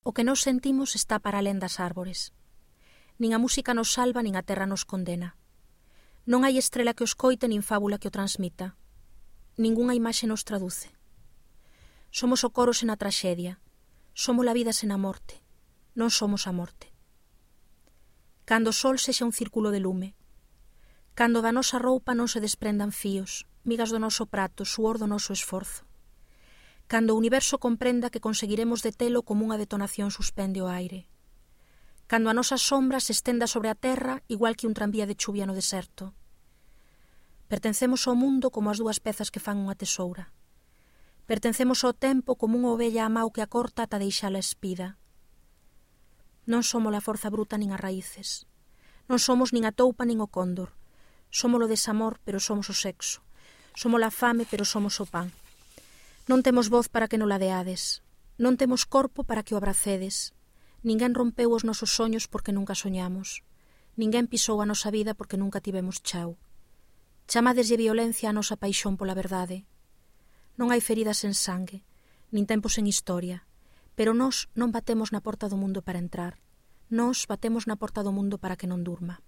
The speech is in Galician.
O que nos sentimos está para alén das árbores. Nin a música nos salva, nin a terra nos condena. Non hai estrela que o escoite, nin fábula que o transmita. Ningunha imaxe nos traduce. Somos o coro sen a traxedia. Somos a vida sen a morte. Non somos a morte. Cando o sol sexa un círculo de lume. Cando da nosa roupa non se desprendan fíos, migas do noso prato, suor do noso esforzo. Cando o universo comprenda que conseguiremos detelo como unha detonación suspende o aire. Cando a nosa sombra se estenda sobre a terra igual que un tranvía de chuvia no deserto. Pertencemos ao mundo como as dúas pezas que fan unha tesoura. Pertencemos ao tempo como unha ovella a mau que a corta ata deixala espida. Non somos a forza bruta nin as raíces. Non somos nin a toupa nin o cóndor. Somos o desamor, pero somos o sexo. Somos a fame, pero somos o pan. Non temos voz para que non ladeades. Non temos corpo para que o abracedes. Ninguén rompeu os nosos soños porque nunca soñamos. Ninguén pisou a nosa vida porque nunca tivemos chao. Chamadeslle violencia a nosa paixón pola verdade. Non hai feridas sen sangue, nin tempos sen historia, pero nós non batemos na porta do mundo para entrar. Nós batemos na porta do mundo para que non durma.